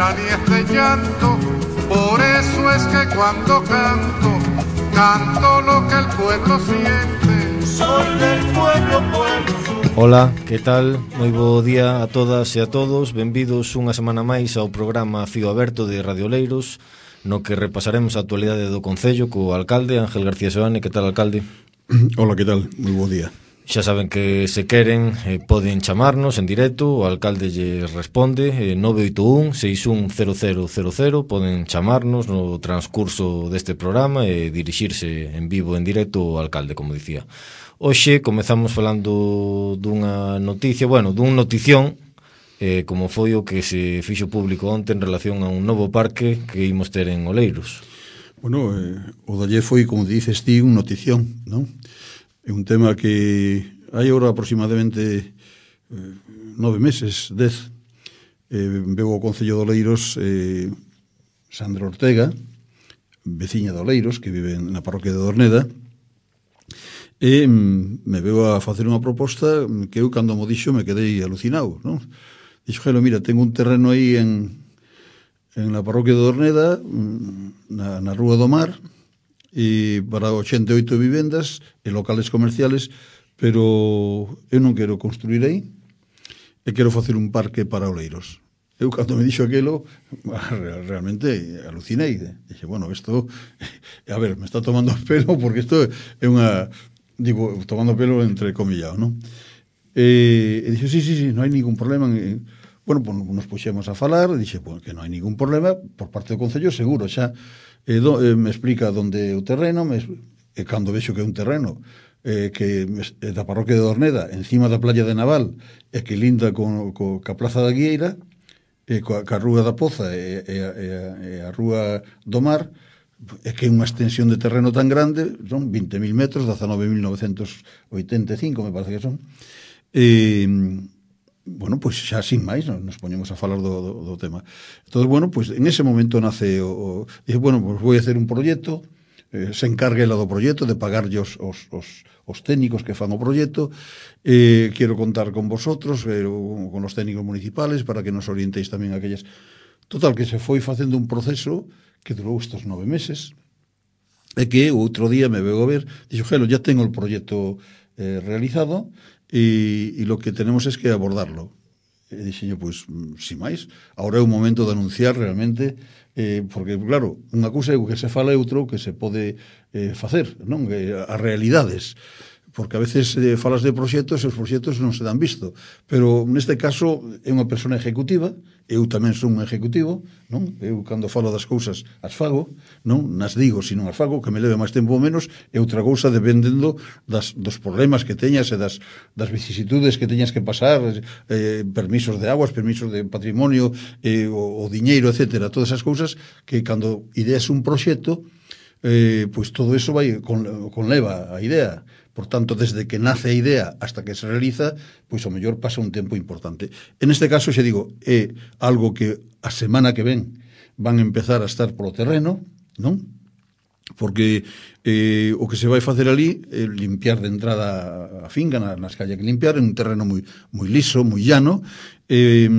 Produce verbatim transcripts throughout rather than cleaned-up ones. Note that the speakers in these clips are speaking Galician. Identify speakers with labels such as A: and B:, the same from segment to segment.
A: pena ni es de llanto, por eso es que cuando canto, canto lo que el pueblo siente. Soy del pueblo, pueblo.
B: Ola, que tal? Moi bo día a todas e a todos. Benvidos unha semana máis ao programa Fío Aberto de Radio Oleiros, no que repasaremos a actualidade do Concello co alcalde Ángel García Seoane. Que tal, alcalde?
C: Hola, que tal? Moi bo día.
B: Xa saben que se queren eh, poden chamarnos en directo, o alcalde lle responde eh, nove oito un, seis un cero cero cero cero. Poden chamarnos no transcurso deste programa e dirixirse en vivo en directo ao alcalde, como dicía. Hoxe comezamos falando dunha noticia, bueno, dun notición, eh, como foi o que se fixo público onte en relación a un novo parque que imos ter en Oleiros.
C: Bueno, eh, o dalle foi, como dices ti, un notición, non? É un tema que hai agora aproximadamente eh, nove meses, dez, eh, veu ao Concello de Oleiros eh, Sandra Ortega, veciña de Oleiros, que vive na parroquia de Dorneda, e me veu a facer unha proposta que eu, cando mo dixo, me quedei alucinado, non? Dixo, Gelo, mira, tengo un terreno aí en, en la parroquia de Dorneda, na, na Rúa do Mar, e para ochenta e oito vivendas e locales comerciales, pero eu non quero construir aí e quero facer un parque para Oleiros. Eu, cando me dixo aquilo, realmente alucinei. Dixe, bueno, isto, a ver, me está tomando pelo, porque isto é unha, digo, tomando pelo entre comillado, non? E, e dixo, sí, sí, sí, non hai ningún problema. E, bueno, pues nos puxemos a falar, e dixe, pues, que non hai ningún problema por parte do Concello, seguro, xa. E do, eh, me explica onde é o terreno, me, e cando vexo que é un terreno eh, que é da parroquia de Dorneda, encima da playa de Naval, e que linda con, con, ca plaza da Guieira, e coa, ca Rúa da Poza e, e, e, e a Rúa do Mar, é que é unha extensión de terreno tan grande, son vinte mil metros, dezanove mil novecentos oitenta e cinco, me parece que son. E, bueno, pois xa sin máis nos poñemos a falar do, do, do tema. Entón, bueno, pois en ese momento nace o, o dije, bueno, pois vou a hacer un proxecto, eh, se encargue ela do proxecto de pagarlle os, os, os, os técnicos que fan o proxecto, eh, quero contar con vosotros, eh, con os técnicos municipales, para que nos orientéis tamén aquellas. Total, que se foi facendo un proceso que durou estos nove meses, e que outro día me veo a ver, dixo, Gelo, ya tengo el proxecto eh, realizado, e, e lo que tenemos es que abordarlo. E dixen, pois, sin máis, agora é o momento de anunciar realmente, eh, porque, claro, unha cousa é o que se fala e outro que se pode eh, facer, non? Que, as realidades, porque a veces eh, falas de proxectos e os proxectos non se dan visto, pero neste caso é unha persona ejecutiva, eu tamén son un ejecutivo, non? Eu cando falo das cousas as fago, non? Nas digo, se non as fago, que me leve máis tempo ou menos, é outra cousa dependendo das, dos problemas que teñas e das, das vicisitudes que teñas que pasar, eh, permisos de aguas, permisos de patrimonio, eh, o, o diñeiro, etcétera, todas esas cousas que cando ideas un proxecto, eh, pois todo eso vai con, conleva a idea. Por tanto, desde que nace a idea hasta que se realiza, pois o mellor pasa un tempo importante. En este caso, xa digo, é algo que a semana que ven van a empezar a estar polo terreno, non? Porque eh, o que se vai facer ali é limpiar de entrada a finca, nas calles que limpiar, en un terreno moi, moi liso, moi llano. Eh,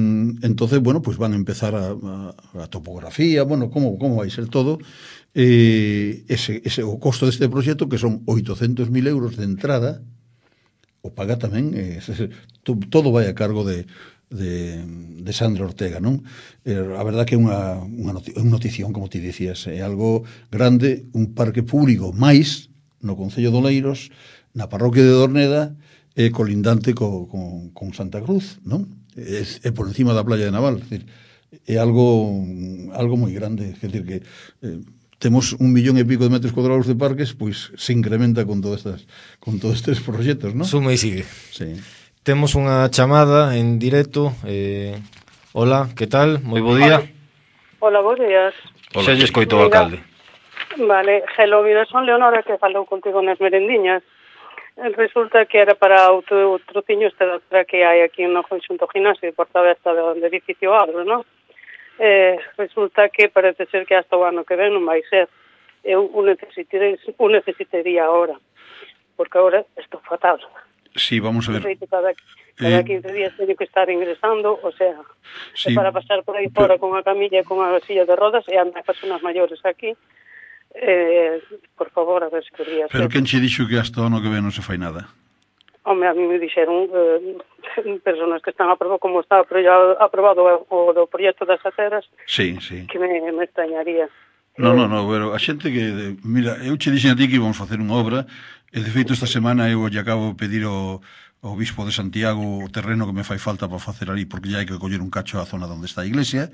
C: entonces, bueno, pues van a empezar a, a, a topografía, bueno, como, como vai ser todo. Eh, ese, ese, o costo deste proxecto, que son oitocentos mil euros de entrada, o paga tamén, eh, to, todo vai a cargo de, de, de Sandra Ortega, non? Eh, a verdad que é unha, unha noti- un notición, como ti dicías, é algo grande, un parque público máis no Concello de Oleiros, na parroquia de Dorneda, e eh, colindante co, con, con Santa Cruz, non? É, é por encima da playa de Naval, é, decir, é algo algo moi grande, é dicir que eh, temos un millón e pico de metros cuadrados de parques, pois se incrementa con todas estas, con todos estes proxectos, non?
B: Suma e sigue.
C: Sí.
B: Temos unha chamada en directo. Eh, hola, que tal? Moi bo día.
D: Hola, bons días.
B: Xa lle escoito o alcalde.
D: Vale, Gelo, mira, son Leonora, que falou contigo nas merendiñas. Resulta que era para outro trociño este da outra que hai aquí no Conxunto Gimnasio de Porta Aberta do edificio Agro, non? Eh, resulta que parece ser que hasta o ano que ven non vai ser. Eu o necesitaría, o necesitaría ahora, porque agora estou fatal.
C: Sí, vamos a ver.
D: Cada, Cada
C: Eh,
D: quince días teño que estar ingresando, o sea,
C: Sí,
D: é para pasar por aí
C: pero-
D: fora con a camilla e con a silla de rodas e andan personas maiores aquí. Eh, por favor, a ver se podría
C: Pero
D: ser.
C: quen che dixo que hasta o ano que ven non se fai nada?
D: Home, a mí me dixeron eh, personas que están aprobado, como está aprobado, aprobado o do proxecto das aceras,
C: Sí, sí.
D: que me, me extrañaría.
C: No,
D: Eh,
C: no, no, pero a xente que... de- Mira, eu che dixen a ti que íbamos facer unha obra, e de feito esta semana eu lle acabo de pedir ao, ao bispo de Santiago o terreno que me fai falta para facer ali, porque já hai que coller un cacho a zona onde está a iglesia,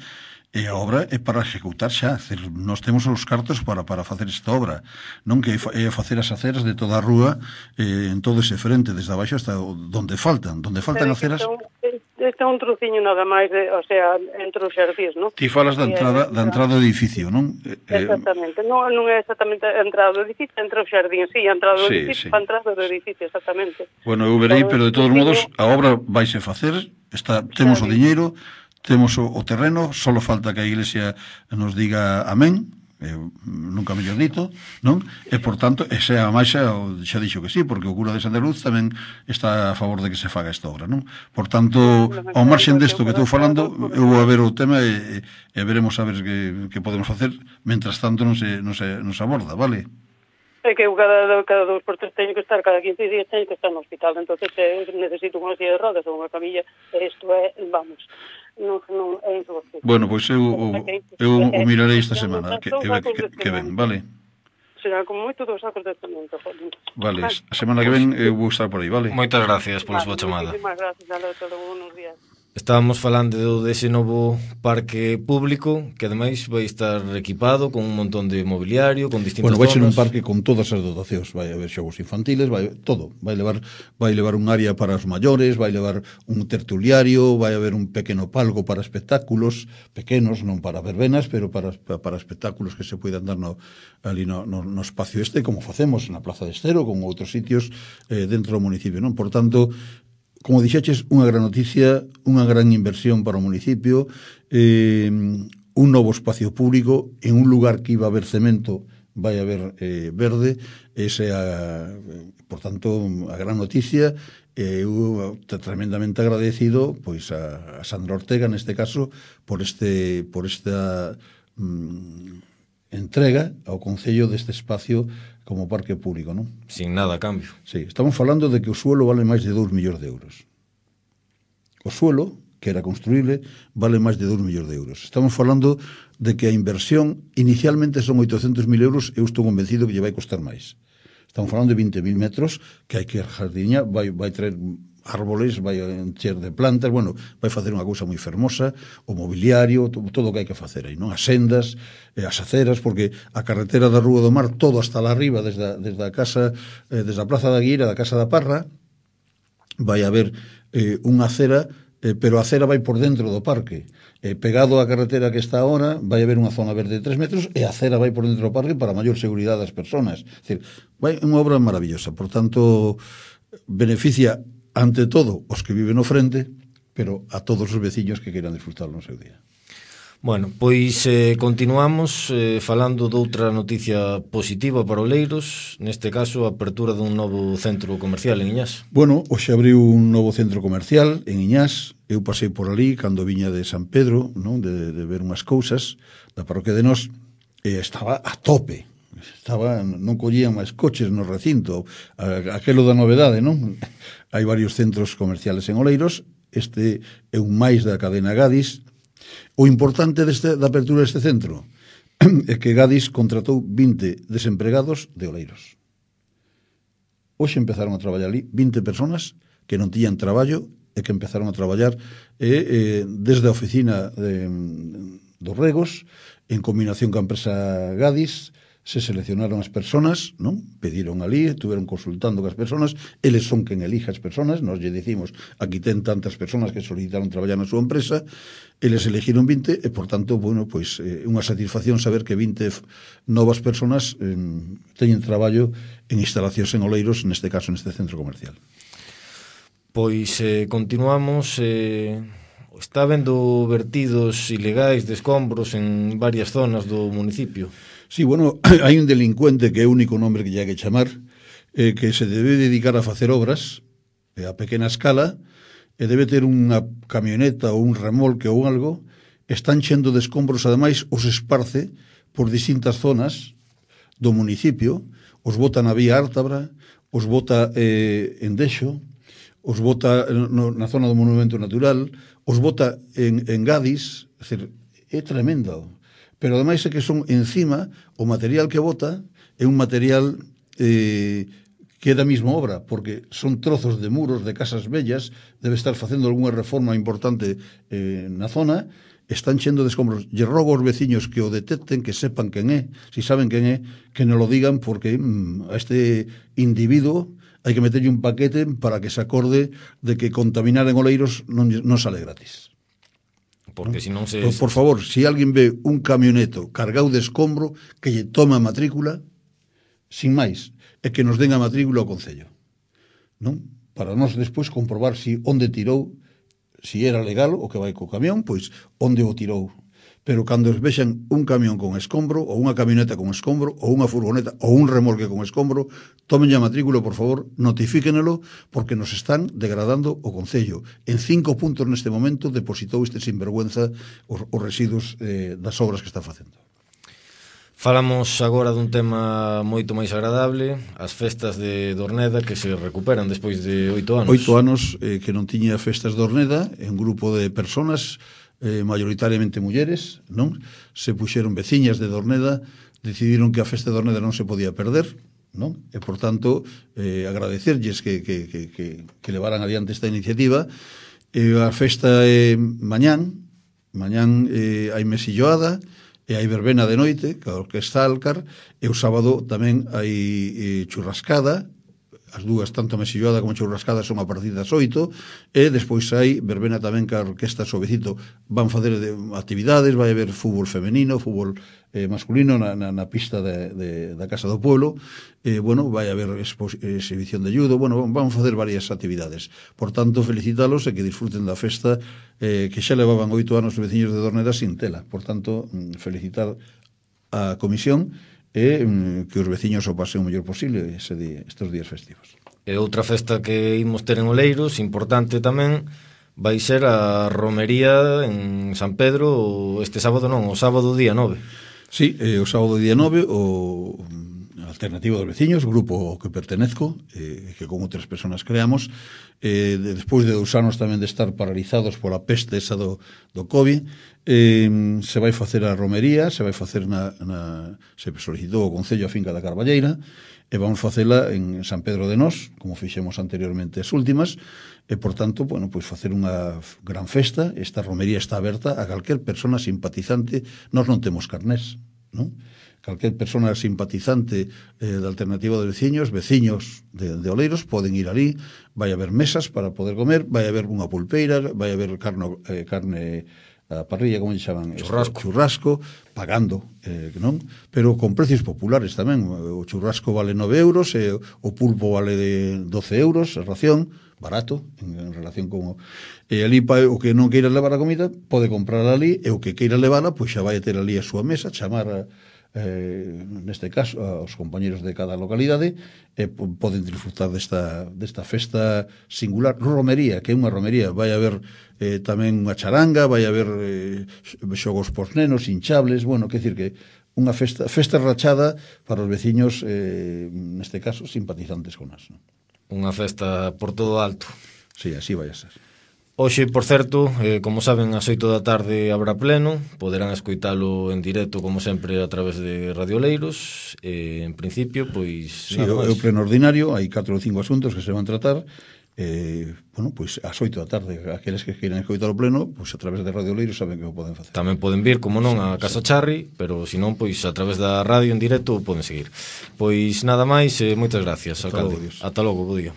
C: e a obra é para executar xa, decir, nós temos os cartos para, para facer esta obra, non que é fa- é facer as aceras de toda a rúa, eh, en todo ese frente, desde abaixo hasta o- donde faltan, donde faltan
D: Pero que
C: aceras...
D: Este é un, este é un truciño nada máis, de, o sea, entre os xardís, non?
C: Ti falas da
D: E aí
C: entrada, da entrada do edificio, non? Eh, eh,
D: Exactamente, non, non é exactamente a entrada do edificio, entre os xardín, sí, a entrada do
C: Sí,
D: edificio,
C: sí.
D: a entrada do edificio, exactamente.
C: Bueno, eu verei,
D: Todo
C: pero de
D: ese
C: todos
D: truciño-
C: modos a obra vaise facer, está, temos o
D: Xa,
C: diñeiro, temos o, o terreno, solo falta que a iglesia nos diga amén, eh, nunca mellor dito, non? E, por tanto, e xa a Maixa xa dixo que sí, porque o cura de Santa Luz tamén está a favor de que se faga esta obra, non? Por tanto, ao marxen desto que estou falando, eu vou a ver o tema e, e veremos a ver que, que podemos facer, mentras tanto non se, non se, non se aborda, vale?
D: É que eu cada, cada dos por tres teño que estar, cada quince días teño que estar no hospital, entonces eh, necesito unha silla de rodas ou unha camilla, e isto é, vamos, non, non é insoportable.
C: Bueno, pois eu, eu, eu o mirarei esta semana, que, que, que, que ven, vale?
D: Será como moito dos sacos de cemento, joder.
C: Vale, a semana que ven eu vou estar por aí, vale?
B: Moitas gracias pola súa
D: Vale,
B: chamada.
D: Muchísimas gracias, a todos, buenos días.
B: Estábamos falando dese novo parque público que ademais vai estar equipado con un montón de mobiliario, con distintas
C: Bueno, vai ser un
B: zonas.
C: parque con todas as dotacións, vai haber xogos infantiles, vai todo, vai levar vai levar un área para os maiores, vai levar un tertuliario, vai haber un pequeno palco para espectáculos, pequenos, non para verbenas, pero para para espectáculos que se poidan dar no ali no, no, no espacio este, como facemos na Plaza de Estero, con outros sitios eh, dentro do municipio, non? Por tanto, como dixeches, unha gran noticia, unha gran inversión para o municipio, eh, un novo espacio público en un lugar que iba a haber cemento, vai haber eh, verde, ese a, por tanto, a gran noticia. Eh, eu tremendamente agradecido pois a, a Sandra Ortega neste caso por este por esta mm, entrega ao Concello deste espacio como parque público, non?
B: Sin nada a cambio.
C: Sí, estamos falando de que o suelo vale máis de dous millóns de euros. O suelo, que era construíble, vale máis de dous millóns de euros. Estamos falando de que a inversión inicialmente son oitocentos mil euros, eu estou convencido que lle vai costar máis. Estamos falando de vinte mil metros, que hai que jardiña, vai, vai traer árboles, vai encher de plantas, bueno, vai facer unha cousa moi fermosa, o mobiliario, todo, todo o que hai que facer aí, non? As sendas, eh, as aceras, porque a carretera da Rúa do Mar, todo hasta lá arriba, desde a, desde a casa, eh, desde a Plaza da Guira, da Casa da Parra, vai haber eh, unha acera, eh, pero a acera vai por dentro do parque. Eh, pegado á carretera que está ahora, vai haber unha zona verde de tres metros e a acera vai por dentro do parque para maior seguridade das persoas. É dicir, vai unha obra maravillosa. Por tanto, beneficia ante todo os que viven no frente, pero a todos os veciños que queiran disfrutar no seu día.
B: Bueno, pois eh, continuamos eh, falando doutra noticia positiva para Oleiros, neste caso a apertura dun novo centro comercial en Iñás.
C: Bueno, hoxe abriu un novo centro comercial en Iñás. Eu pasei por ali cando viña de San Pedro, non, de, de ver unhas cousas da parroquia de Nós, e estaba a tope. Estaba, non collían máis coches no recinto, aquelo da novedade, non? Hai varios centros comerciales en Oleiros, este é un máis da cadena Gadis. O importante deste, da apertura deste centro é que Gadis contratou vinte desempregados de Oleiros. Hoxe empezaron a traballar ali vinte personas que non tiñan traballo e que empezaron a traballar eh, eh, desde a oficina de, dos Regos, en combinación ca empresa Gadis. Se seleccionaron as personas, non? Pediron ali, estuveron consultando cas personas, eles son quen elija as personas, nós lle dicimos, aquí ten tantas personas que solicitaron traballar na súa empresa, eles elegiron vinte, e, por tanto, bueno, pois, eh, unha satisfacción saber que vinte novas personas eh, teñen traballo en instalacións en Oleiros, neste caso, neste centro comercial.
B: Pois eh, continuamos... Eh... Está habendo vertidos ilegais de escombros en varias zonas do municipio.
C: Sí, bueno, hai un delincuente que é o único nombre que lle hai que chamar, eh, que se debe dedicar a facer obras eh, a pequena escala e debe ter unha camioneta ou un remolque ou algo, están chendo de escombros, ademais os esparce por distintas zonas do municipio, os bota na vía Ártabra, os bota eh, en Dexo, os bota no, na zona do Monumento Natural, os bota en, en Gadis, é, decir, é tremendo. Pero ademais é que son encima, o material que bota é un material eh, que é da mesma obra, porque son trozos de muros de casas bellas, debe estar facendo algunha reforma importante eh, na zona, están chendo de escombros. Lle rogo aos veciños que o detecten, que sepan quen é, si saben quen é, que non lo digan, porque mm, a este individuo hai que meterlle un paquete para que se acorde de que contaminar en Oleiros non, non sale gratis.
B: Porque ¿no? Si non se...
C: Por, por favor, si alguén ve un camioneto cargado de escombro, que lle toma a matrícula, sin máis, é que nos den a matrícula ao Concello, non? Para nós despois comprobar si onde tirou, si era legal o que vai co camión, pois onde o tirou. Pero cando vexan un camión con escombro, ou unha camioneta con escombro, ou unha furgoneta, ou un remolque con escombro, tomen a matrícula, por favor, notifíquenelo, porque nos están degradando o Concello. En cinco puntos neste momento depositou este sinvergüenza os, os residuos eh, das obras que está facendo.
B: Falamos agora dun tema moito máis agradable, as festas de Dorneda que se recuperan despois de oito anos.
C: Oito anos eh, que non tiña festas de Dorneda, en grupo de personas, eh, mayoritariamente mulleres, non? Se puxeron veciñas de Dorneda, decidiron que a festa de Dorneda non se podía perder, non? E, por tanto, eh, agradecerlles que, que, que, que, que levaran adiante esta iniciativa. Eh, a festa é eh, mañán, mañán eh, hai mesilloada, e hai verbena de noite, que a Orquesta Alcar, e o sábado tamén hai eh, churrascada, as dúas, tanto a mesilloada como a churrascada, son a partir das oito, e despois hai verbena tamén que a Orquesta Suavecito van facer de actividades, vai haber fútbol femenino, fútbol eh, masculino na, na, na pista de, de, da Casa do Pueblo, e, bueno, vai haber expo, exhibición de judo, bueno, van facer varias actividades. Por tanto, felicitalos e que disfruten da festa eh, que xa levaban oito anos os veciños de Dorneda sin tela. Por tanto, felicitar a comisión e mm, que os veciños o pasen o mellor posible ese día, estes días festivos.
B: E outra festa que imos ter en Oleiros, importante tamén, vai ser a romería en San Pedro este sábado non, o sábado día nove.
C: Sí, eh, o sábado día nove o Alternativa dos Veciños, grupo ao que pertenezco, eh, que con outras persoas creamos, eh, de, despois de dous anos tamén de estar paralizados pola peste esa do, do COVID, eh, se vai facer a romería, se vai facer na, na se solicitou o Concello a finca da Carballeira, e vamos facela en San Pedro de Nós, como fixemos anteriormente as últimas, e, por tanto, bueno, pois facer unha gran festa. Esta romería está aberta a calquer persona simpatizante. Nós non temos carnés, non? Calquer persona simpatizante eh, da Alternativa dos Veciños, veciños de, de Oleiros, poden ir ali, vai haber mesas para poder comer, vai haber unha pulpeira, vai haber carne, eh, carne a parrilla, como lle chaman?
B: Churrasco.
C: Churrasco, pagando, eh, non? Pero con precios populares tamén. O churrasco vale nove euros, e o pulpo vale de doce euros, a ración, barato, en, en relación con... O, e ali, pa, o que non queira levar a comida, pode comprarla ali, e o que queira levala, pois xa vai a ter ali a súa mesa, chamar a, eh, neste caso aos compañeros de cada localidade, e poden disfrutar desta, desta festa singular, romería, que é unha romería. Vai haber eh, tamén unha charanga, vai haber eh, xogos pos nenos, hinchables, bueno, que decir que unha festa, festa rachada para os veciños, eh, neste caso, simpatizantes con nas, non?
B: Unha festa por todo alto.
C: Sí, así vai a ser.
B: Hoxe, por certo, eh, como saben, ás oito da tarde habrá pleno, poderán escoitalo en directo, como sempre, a través de Radio Oleiros. Eh, en principio, pois...
C: Sí, é o pleno ordinario, hai catro ou cinco asuntos que se van tratar. Eh, bueno, pois ás oito da tarde, aqueles que queiran escoitar o pleno, pois a través de Radio Oleiros saben que o poden facer.
B: Tamén poden vir, como non, a Casa Charri, pero se non, pois a través da radio en directo poden seguir. Pois nada máis, eh, moitas gracias, alcalde.
C: Ata logo,
B: Ata logo, bo día.